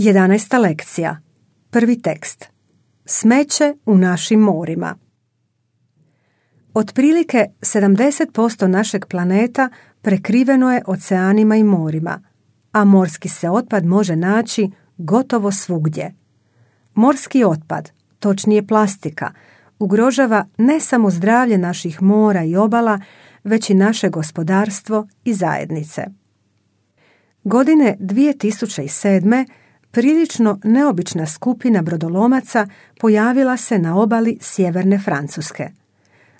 11. lekcija. Prvi tekst. Smeće u našim morima. Otprilike 70% našeg planeta prekriveno je oceanima i morima, a morski se otpad može naći gotovo svugdje. Morski otpad, točnije plastika, ugrožava ne samo zdravlje naših mora i obala, već i naše gospodarstvo i zajednice. Godine 2007. prilično neobična skupina brodolomaca pojavila se na obali sjeverne Francuske.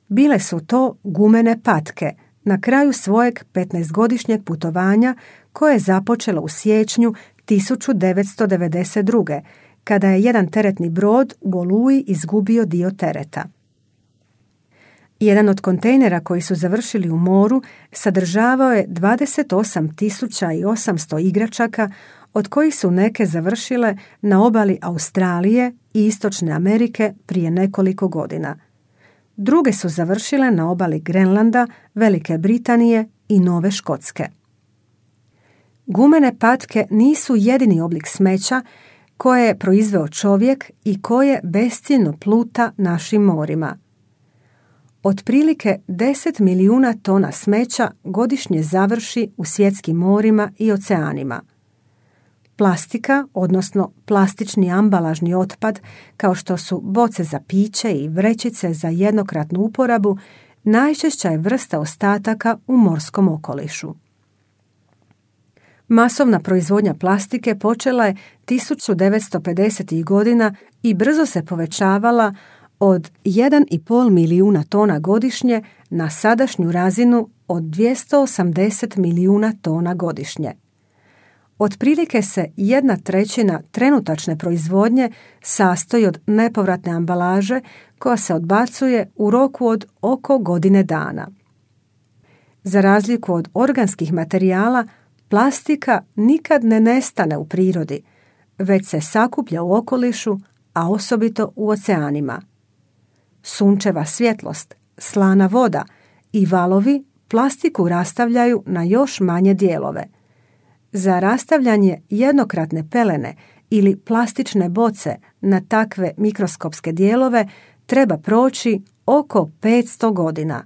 Bile su to gumene patke na kraju svojeg 15-godišnjeg putovanja koje je započelo u siječnju 1992. kada je jedan teretni brod u Oluji izgubio dio tereta. Jedan od kontejnera koji su završili u moru sadržavao je 28.800 igračaka, od kojih su neke završile na obali Australije i Istočne Amerike prije nekoliko godina. Druge su završile na obali Grenlanda, Velike Britanije i Nove Škotske. Gumene patke nisu jedini oblik smeća koje je proizveo čovjek i koje besciljno pluta našim morima. Otprilike 10 milijuna tona smeća godišnje završi u svjetskim morima i oceanima. Plastika, odnosno plastični ambalažni otpad, kao što su boce za piće i vrećice za jednokratnu uporabu, najčešća je vrsta ostataka u morskom okolišu. Masovna proizvodnja plastike počela je 1950. godina i brzo se povećavala od 1,5 milijuna tona godišnje na sadašnju razinu od 280 milijuna tona godišnje. Otprilike se 1/3 trenutačne proizvodnje sastoji od nepovratne ambalaže koja se odbacuje u roku od oko godine dana. Za razliku od organskih materijala, plastika nikad ne nestane u prirodi, već se sakuplja u okolišu, a osobito u oceanima. Sunčeva svjetlost, slana voda i valovi plastiku rastavljaju na još manje dijelove. Za rastavljanje jednokratne pelene ili plastične boce na takve mikroskopske dijelove treba proći oko 500 godina.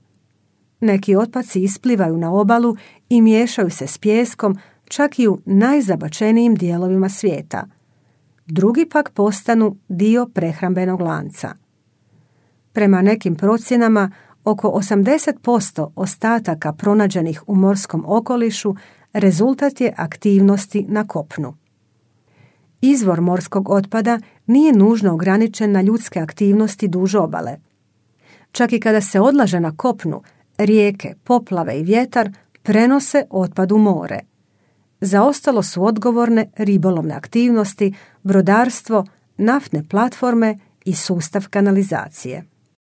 Neki otpaci isplivaju na obalu i miješaju se s pijeskom čak i u najzabačenijim dijelovima svijeta. Drugi pak postanu dio prehrambenog lanca. Prema nekim procjenama, oko 80% ostataka pronađenih u morskom okolišu rezultat je aktivnosti na kopnu. Izvor morskog otpada nije nužno ograničen na ljudske aktivnosti duž obale. Čak i kada se odlaže na kopnu, rijeke, poplave i vjetar prenose otpad u more. Za ostalo su odgovorne ribolovne aktivnosti, brodarstvo, naftne platforme i sustav kanalizacije.